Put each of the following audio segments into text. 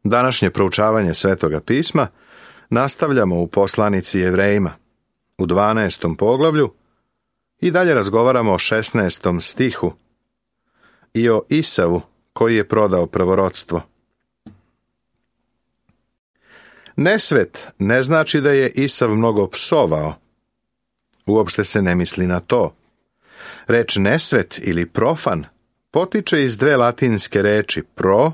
Današnje proučavanje Svetoga pisma nastavljamo u poslanici Jevrejima u 12. poglavlju i dalje razgovaramo o 16. stihu i o Isavu koji je prodao prvorodstvo. Nesvet ne znači da je Isav mnogo psovao. Uopšte se ne misli na to. Reč nesvet ili profan potiče iz dve latinske reči pro,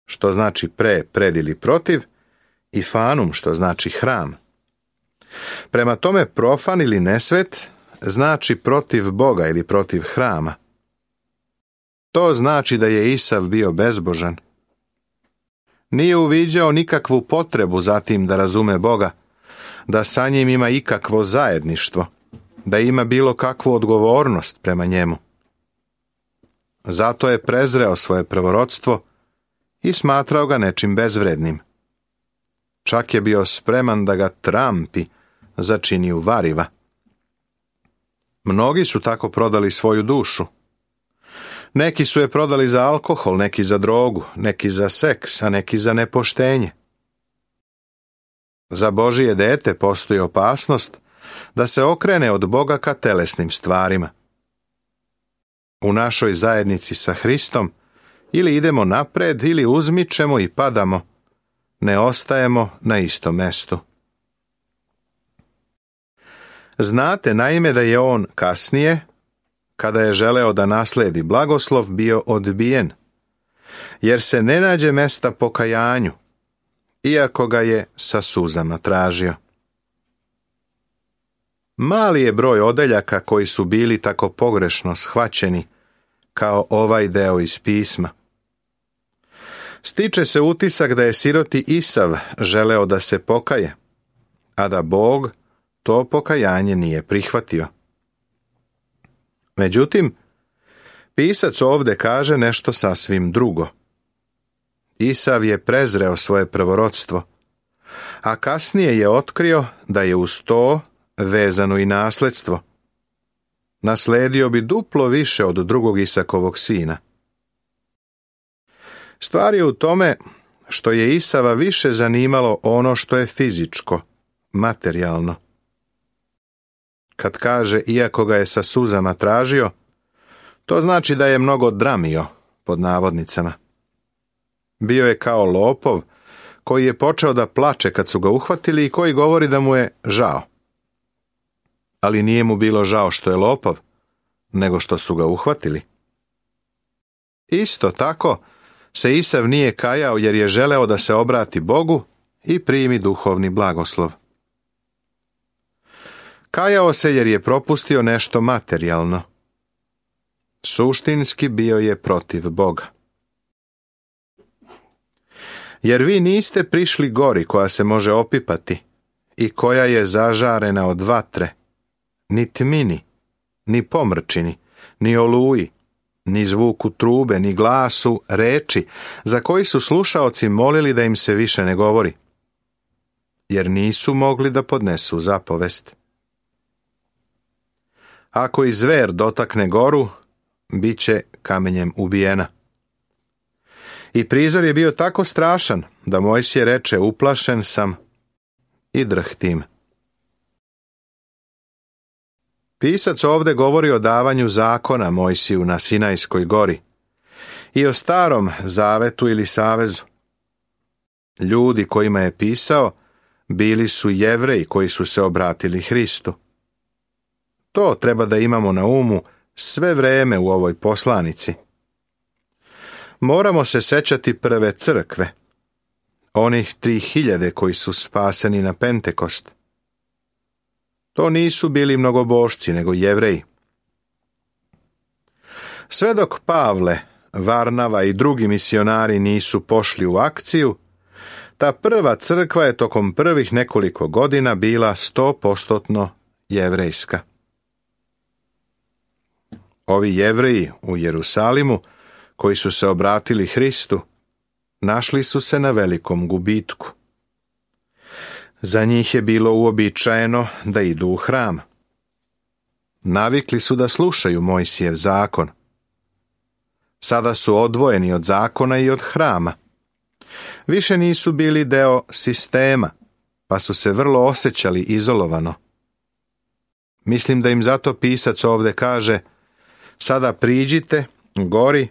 što znači pre, pred ili protiv, i fanum, što znači hram. Prema tome, profan ili nesvet znači protiv Boga ili protiv hrama. To znači da je Isav bio bezbožan. Nije uviđao nikakvu potrebu za tim da razume Boga, da sa njim ima ikakvo zajedništvo, da ima bilo kakvu odgovornost prema njemu. Zato je prezreo svoje prvorodstvo i smatrao ga nečim bezvrednim. Čak je bio spreman da ga trampi za činiju variva. Mnogi su tako prodali svoju dušu. Neki su je prodali za alkohol, neki za drogu, neki za seks, a neki za nepoštenje. Za Božije dete postoji opasnost da se okrene od Boga ka telesnim stvarima. U našoj zajednici sa Hristom ili idemo napred ili uzmičemo i padamo, ne ostajemo na istom mestu. Znate naime da je on kasnije, kada je želeo da nasledi blagoslov, bio odbijen, jer se ne nađe mesta pokajanju, iako ga je sa suzama tražio. Mali je broj odeljaka koji su bili tako pogrešno shvaćeni kao ovaj deo iz pisma. Stiče se utisak da je siroti Isav želeo da se pokaje, a da Bog to pokajanje nije prihvatio. Međutim, pisac ovdje kaže nešto sasvim drugo. Isav je prezreo svoje prvorodstvo, a kasnije je otkrio da je uz to vezano i nasledstvo. Nasledio bi duplo više od drugog Isakovog sina. Stvar je u tome što je Isava više zanimalo ono što je fizičko, materijalno. Kad kaže iako ga je sa suzama tražio, to znači da je mnogo dramio, pod navodnicama. Bio je kao lopov koji je počeo da plače kad su ga uhvatili i koji govori da mu je žao. Ali nije mu bilo žao što je lopov, nego što su ga uhvatili. Isto tako se Isav nije kajao jer je želeo da se obrati Bogu i primi duhovni blagoslov. Kajao se jer je propustio nešto materijalno. Suštinski bio je protiv Boga. Jer vi niste prišli gori koja se može opipati i koja je zažarena od vatre, ni tmini, ni pomrčini, ni oluji, ni zvuku trube, ni glasu reči, za koji su slušaoci molili da im se više ne govori, jer nisu mogli da podnesu zapovest. Ako i zver dotakne goru, bit će kamenjem ubijena. I prizor je bio tako strašan da Mojsije reče: uplašen sam i drhtim. Pisac ovdje govori o davanju zakona Mojsiju na Sinajskoj gori i o starom zavetu ili savezu. Ljudi kojima je pisao bili su Jevreji koji su se obratili Hristu. To treba da imamo na umu sve vreme u ovoj poslanici. Moramo se sećati prve crkve, onih 3000 koji su spaseni na Pentekost. To nisu bili mnogobošci, nego Jevreji. Sve dok Pavle, Varnava i drugi misionari nisu pošli u akciju, ta prva crkva je tokom prvih nekoliko godina bila 100% jevrejska. Ovi Jevreji u Jerusalimu, koji su se obratili Hristu, našli su se na velikom gubitku. Za njih je bilo uobičajeno da idu u hram. Navikli su da slušaju Mojsijev zakon. Sada su odvojeni od zakona i od hrama. Više nisu bili deo sistema, pa su se vrlo osjećali izolovano. Mislim da im zato pisac ovdje kaže: sada priđite gori,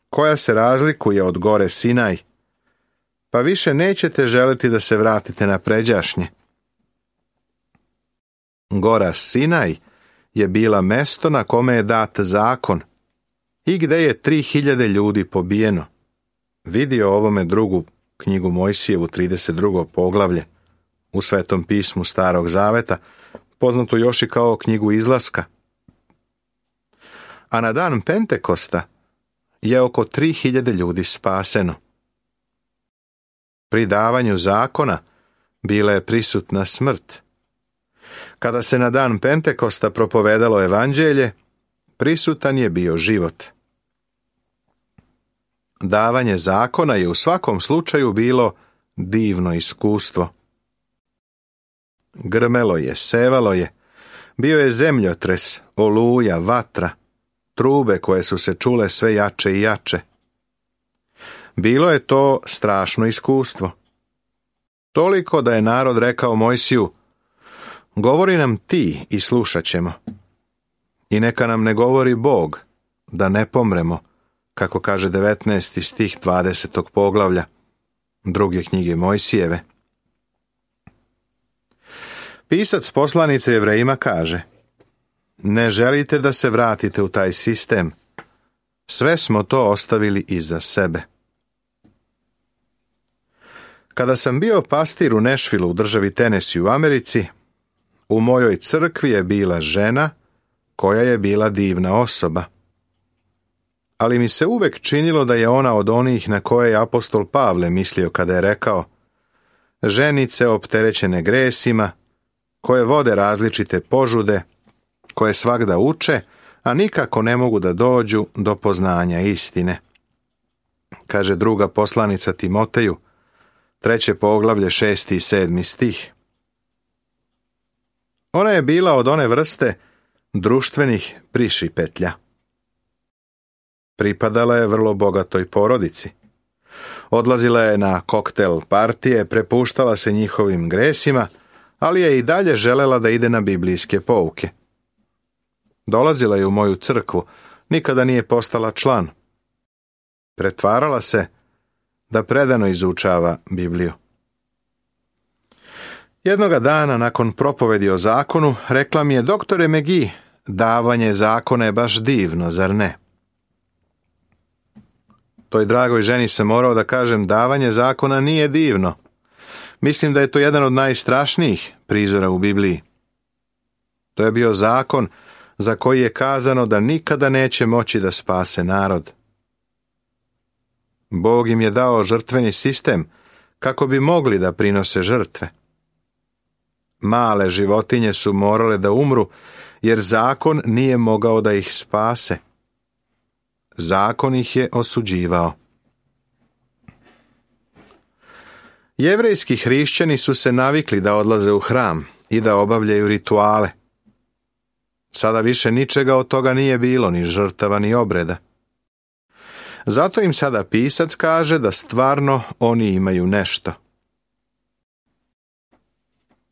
koja se razlikuje od gore Sinaj, pa više nećete želiti da se vratite na pređašnje. Gora Sinaj je bila mesto na kome je dat zakon i gdje je 3000 ljudi pobijeno. Vidi o ovome drugu knjigu Mojsijevu, 32. poglavlje u Svetom pismu Starog zaveta, poznato još i kao knjigu Izlaska. A na dan Pentekosta je oko 3000 ljudi spaseno. Pri davanju zakona bila je prisutna smrt. Kada se na dan Pentekosta propovedalo evanđelje, prisutan je bio život. Davanje zakona je u svakom slučaju bilo divno iskustvo. Grmelo je, sevalo je, bio je zemljotres, oluja, vatra, trube koje su se čule sve jače i jače. Bilo je to strašno iskustvo. Toliko da je narod rekao Mojsiju: govori nam ti i slušat ćemo. I neka nam ne govori Bog, da ne pomremo, kako kaže 19. stih 20. poglavlja druge knjige Mojsijeve. Pisac poslanice Jevrejima kaže: ne želite da se vratite u taj sistem. Sve smo to ostavili iza sebe. Kada sam bio pastir u Nashvillu u državi Tennessee u Americi, u mojoj crkvi je bila žena koja je bila divna osoba. Ali mi se uvek činilo da je ona od onih na koje je apostol Pavle mislio kada je rekao: ženice opterećene gresima, koje vode različite požude, koje svagda uče, a nikako ne mogu da dođu do poznanja istine. Kaže druga poslanica Timoteju, 3. poglavlje, 6. i 7. stih. Ona je bila od one vrste društvenih prišipetlja. Pripadala je vrlo bogatoj porodici. Odlazila je na koktel partije, prepuštala se njihovim gresima, ali je i dalje želela da ide na biblijske pouke. Dolazila je u moju crkvu, nikada nije postala član. Pretvarala se da predano izučava Bibliju. Jednoga dana, nakon propovedi o zakonu, rekla mi je: doktore McGee, davanje zakona je baš divno, zar ne? Toj dragoj ženi sam morao da kažem: davanje zakona nije divno. Mislim da je to jedan od najstrašnijih prizora u Bibliji. To je bio zakon za koji je kazano da nikada neće moći da spase narod. Bog im je dao žrtveni sistem kako bi mogli da prinose žrtve. Male životinje su morale da umru, jer zakon nije mogao da ih spase. Zakon ih je osuđivao. Jevrejski hrišćani su se navikli da odlaze u hram i da obavljaju rituale. Sada više ničega od toga nije bilo, ni žrtava, ni obreda. Zato im sada pisac kaže da stvarno oni imaju nešto.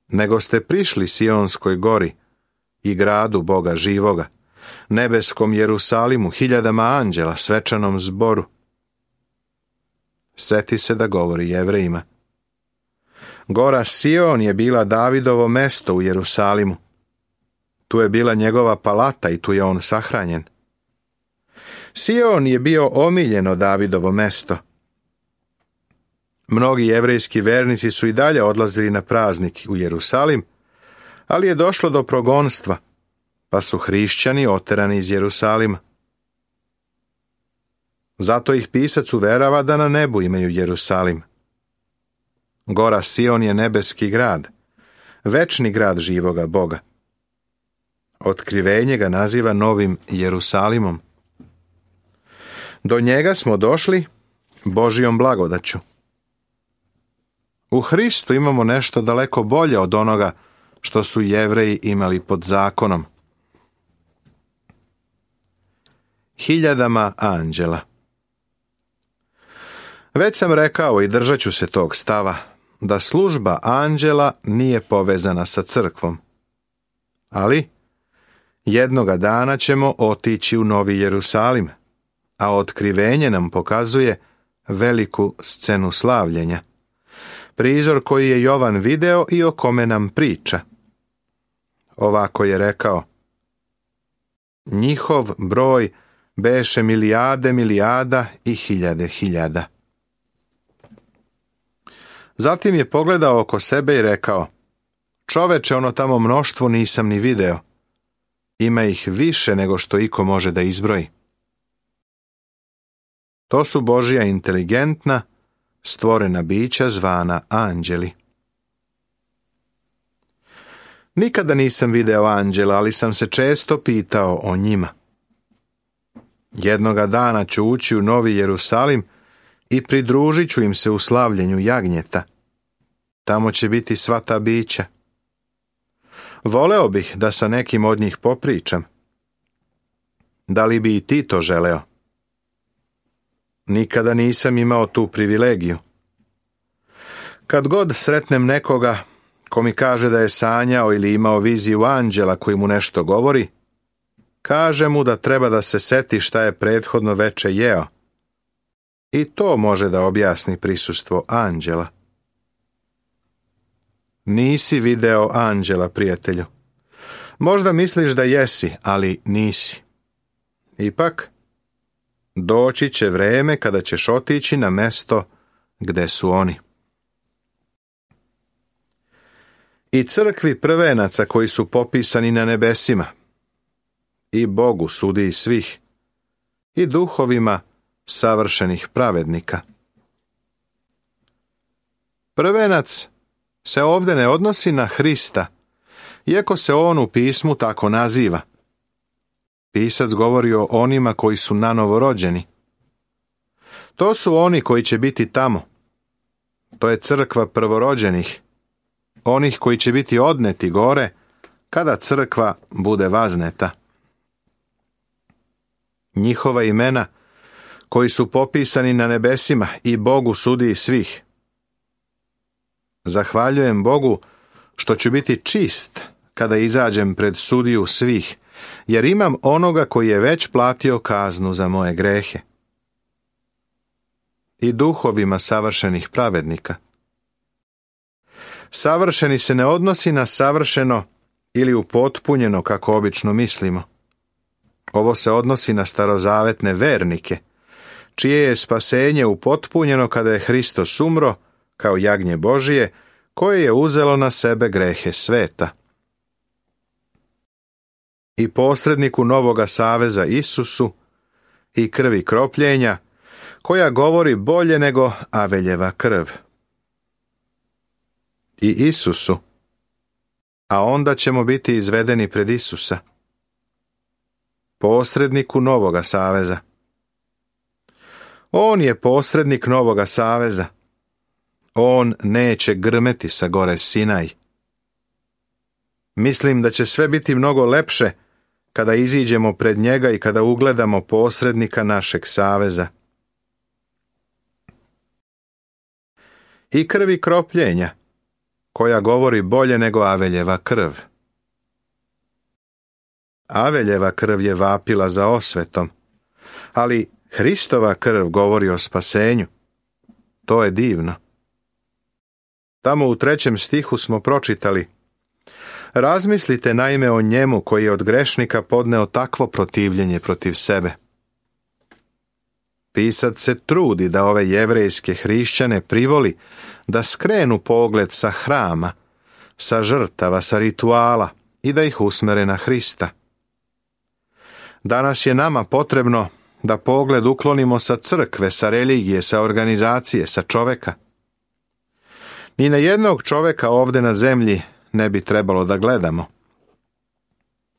Nego ste prišli Sionskoj gori i gradu Boga živoga, nebeskom Jerusalimu, 1000 anđela, svečanom zboru. Seti se da govori Jevrejima. Gora Sion je bila Davidovo mesto u Jerusalimu. Tu je bila njegova palata i tu je on sahranjen. Sion je bio omiljeno Davidovo mesto. Mnogi jevrejski vernici su i dalje odlazili na praznik u Jerusalim, ali je došlo do progonstva, pa su hrišćani oterani iz Jerusalima. Zato ih pisac uverava da na nebu imaju Jerusalim. Gora Sion je nebeski grad, večni grad živoga Boga. Otkrivenje ga naziva Novim Jerusalimom. Do njega smo došli Božijom blagodaću. U Hristu imamo nešto daleko bolje od onoga što su Jevreji imali pod zakonom. 1000 anđela. Već sam rekao i držat ću se tog stava, da služba anđela nije povezana sa crkvom. Ali jednoga dana ćemo otići u Novi Jerusalim, a otkrivenje nam pokazuje veliku scenu slavljenja. Prizor koji je Jovan video i o kome nam priča. Ovako je rekao: njihov broj beše milijarde milijada i hiljade hiljada. Zatim je pogledao oko sebe i rekao: čoveče, ono tamo mnoštvo nisam ni video. Ima ih više nego što iko može da izbroji. To su Božja inteligentna, stvorena bića zvana anđeli. Nikada nisam video anđela, ali sam se često pitao o njima. Jednoga dana ću ući u Novi Jerusalim i pridružit ću im se u slavljenju jagnjeta. Tamo će biti sva ta bića. Voleo bih da sa nekim od njih popričam. Da li bi i ti to želeo? Nikada nisam imao tu privilegiju. Kad god sretnem nekoga ko mi kaže da je sanjao ili imao viziju anđela koji mu nešto govori, kaže mu da treba da se seti šta je prethodno veče jeo. I to može da objasni prisustvo anđela. Nisi video anđela, prijatelju. Možda misliš da jesi, ali nisi. Ipak, doći će vreme kada ćeš otići na mesto gde su oni. I crkvi prvenaca koji su popisani na nebesima, i Bogu sudiji svih, i duhovima savršenih pravednika. Prvenac se ovdje ne odnosi na Hrista, iako se on u pismu tako naziva. Pisac govori o onima koji su nanovo rođeni. To su oni koji će biti tamo. To je crkva prvorođenih, onih koji će biti odneti gore kada crkva bude vazneta. Njihova imena koji su popisani na nebesima i Bogu sudiji svih. Zahvaljujem Bogu što ću biti čist kada izađem pred sudiju svih, jer imam onoga koji je već platio kaznu za moje grehe. I duhovima savršenih pravednika. Savršeni se ne odnosi na savršeno ili upotpunjeno kako obično mislimo. Ovo se odnosi na starozavetne vernike, čije je spasenje upotpunjeno kada je Hristos umro kao jagnje Božije, koje je uzelo na sebe grehe sveta. I posredniku Novoga saveza Isusu i krvi kropljenja, koja govori bolje nego Aveljeva krv. I Isusu, a onda ćemo biti izvedeni pred Isusa. Posredniku Novoga saveza. On je posrednik Novoga saveza. On neće grmeti sa gore Sinaj. Mislim da će sve biti mnogo lepše kada iziđemo pred njega i kada ugledamo posrednika našeg saveza. I krvi kropljenja, koja govori bolje nego Aveljeva krv. Aveljeva krv je vapila za osvetom, ali Hristova krv govori o spasenju. To je divno. Tamo u 3. stihu smo pročitali: razmislite naime o njemu koji je od grešnika podneo takvo protivljenje protiv sebe. Pisac se trudi da ove jevrejske hrišćane privoli da skrenu pogled sa hrama, sa žrtava, sa rituala i da ih usmere na Hrista. Danas je nama potrebno da pogled uklonimo sa crkve, sa religije, sa organizacije, sa čoveka. Ni na jednog čoveka ovdje na zemlji ne bi trebalo da gledamo.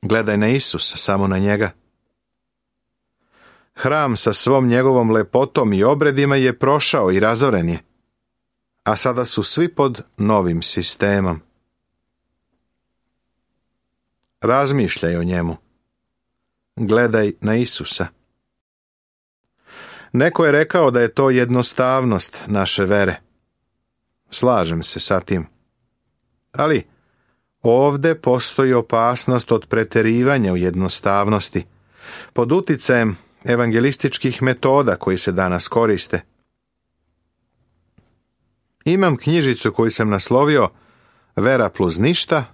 Gledaj na Isusa, samo na njega. Hram sa svom njegovom lepotom i obredima je prošao i razoren je, a sada su svi pod novim sistemom. Razmišljaj o njemu. Gledaj na Isusa. Neko je rekao da je to jednostavnost naše vere. Slažem se sa tim. Ali ovdje postoji opasnost od preterivanja u jednostavnosti, pod uticajem evangelističkih metoda koji se danas koriste. Imam knjižicu koju sam naslovio Vera plus ništa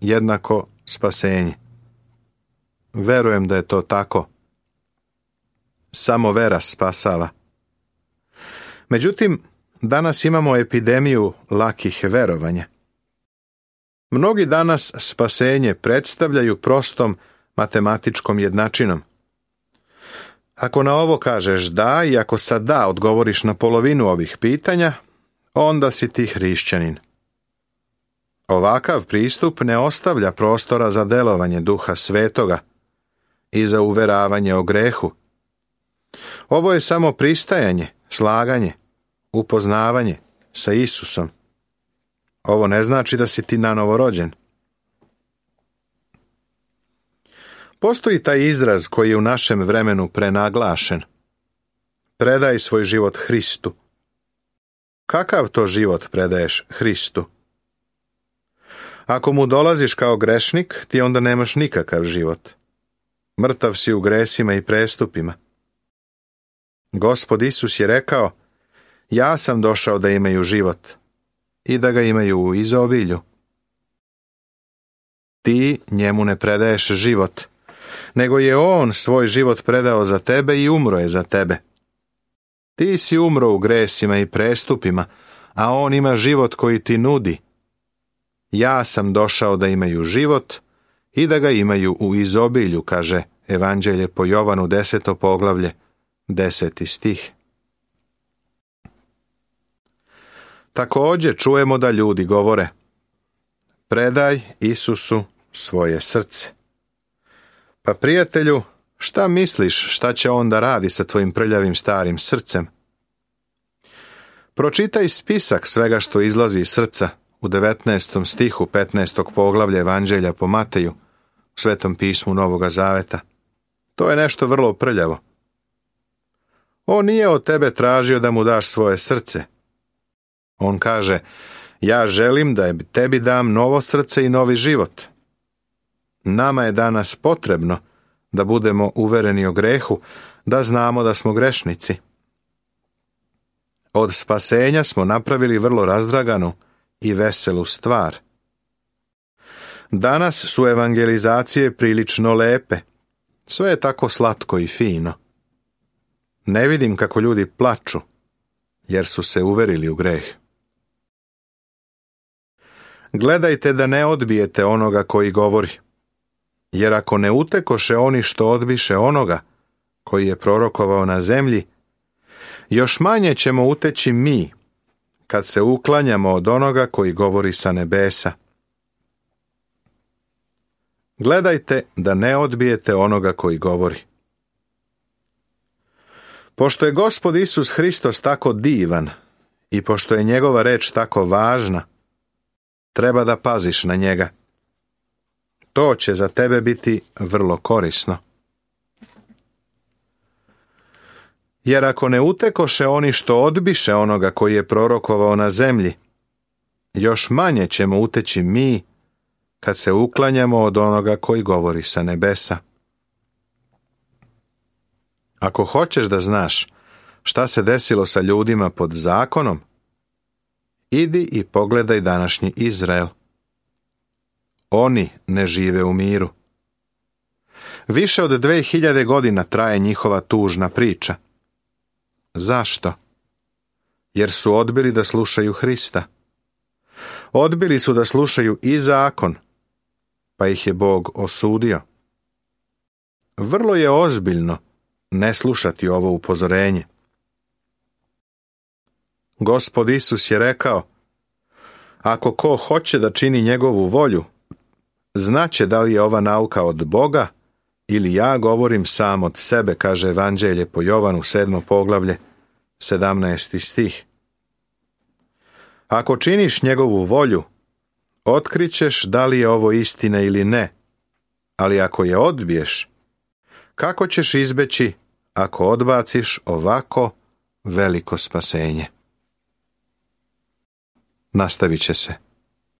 jednako spasenje. Verujem da je to tako. Samo vera spasava. Međutim, danas imamo epidemiju lakih verovanja. Mnogi danas spasenje predstavljaju prostom matematičkom jednačinom. Ako na ovo kažeš da i ako sa da odgovoriš na polovinu ovih pitanja, onda si ti hrišćanin. Ovakav pristup ne ostavlja prostora za delovanje Duha Svetoga i za uveravanje o grehu. Ovo je samo pristajanje, slaganje, upoznavanje sa Isusom. Ovo ne znači da si ti nanovo rođen. Postoji taj izraz koji je u našem vremenu prenaglašen. Predaj svoj život Hristu. Kakav to život predaješ Hristu? Ako mu dolaziš kao grešnik, ti onda nemaš nikakav život. Mrtav si u gresima i prestupima. Gospod Isus je rekao, ja sam došao da imaju život i da ga imaju u izobilju. Ti njemu ne predaješ život, nego je on svoj život predao za tebe i umro je za tebe. Ti si umro u gresima i prestupima, a on ima život koji ti nudi. Ja sam došao da imaju život i da ga imaju u izobilju, kaže Evanđelje po Jovanu 10. poglavlje, 10. stih. Također čujemo da ljudi govore, predaj Isusu svoje srce. Pa prijatelju, šta misliš šta će on da radi sa tvojim prljavim starim srcem? Pročitaj spisak svega što izlazi iz srca u 19. stihu 15. poglavlja Evanđelja po Mateju, u Svetom pismu Novoga Zaveta. To je nešto vrlo prljavo. On nije od tebe tražio da mu daš svoje srce. On kaže, ja želim da tebi dam novo srce i novi život. Nama je danas potrebno da budemo uvereni o grehu, da znamo da smo grešnici. Od spasenja smo napravili vrlo razdraganu i veselu stvar. Danas su evangelizacije prilično lepe. Sve je tako slatko i fino. Ne vidim kako ljudi plaču, jer su se uverili u greh. Gledajte da ne odbijete onoga koji govori, jer ako ne utekoše oni što odbiše onoga koji je prorokovao na zemlji, još manje ćemo uteći mi, kad se uklanjamo od onoga koji govori sa nebesa. Gledajte da ne odbijete onoga koji govori. Pošto je Gospod Isus Hristos tako divan i pošto je njegova reč tako važna, treba da paziš na njega. To će za tebe biti vrlo korisno. Jer ako ne utekoše oni što odbiše onoga koji je prorokovao na zemlji, još manje ćemo uteći mi kad se uklanjamo od onoga koji govori sa nebesa. Ako hoćeš da znaš šta se desilo sa ljudima pod zakonom, idi i pogledaj današnji Izrael. Oni ne žive u miru. Više od 2000 godina traje njihova tužna priča. Zašto? Jer su odbili da slušaju Hrista. Odbili su da slušaju i zakon, pa ih je Bog osudio. Vrlo je ozbiljno ne slušati ovo upozorenje. Gospod Isus je rekao, ako ko hoće da čini njegovu volju, znaće da li je ova nauka od Boga ili ja govorim sam od sebe, kaže Evanđelje po Jovanu 7. poglavlje, 17. stih. Ako činiš njegovu volju, otkrićeš da li je ovo istina ili ne, ali ako je odbiješ, kako ćeš izbeći ako odbaciš ovako veliko spasenje. Nastavit će se.